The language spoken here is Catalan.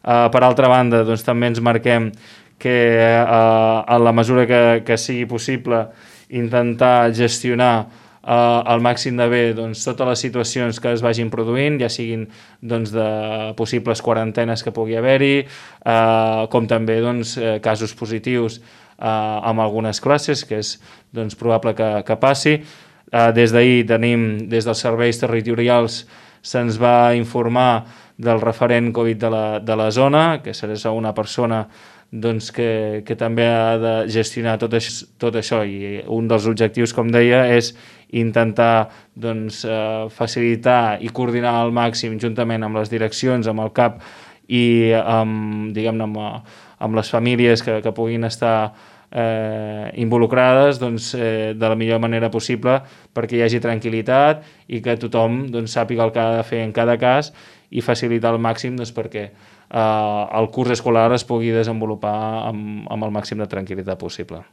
Per altra banda, doncs, també ens marquem que en la mesura que sigui possible intentar gestionar al màxim de bé doncs, totes les situacions que es vagin produint, ja siguin doncs, de possibles quarantenes que pugui haver-hi, com també doncs, casos positius amb algunes classes, que és doncs, probable que passi. Des d'ahir tenim, des dels serveis territorials, se'ns va informar del referent Covid de la zona, que serà una persona doncs, que també ha de gestionar tot això, i un dels objectius, com deia, és intentar doncs, facilitar i coordinar al màxim juntament amb les direccions, amb el CAP i diguem-ne amb les famílies que puguin estar involucrades doncs, de la millor manera possible perquè hi hagi tranquil·litat i que tothom doncs, sàpiga el que ha de fer en cada cas i facilitar al màxim doncs, perquè el curs escolar es pugui desenvolupar amb el màxim de tranquil·litat possible.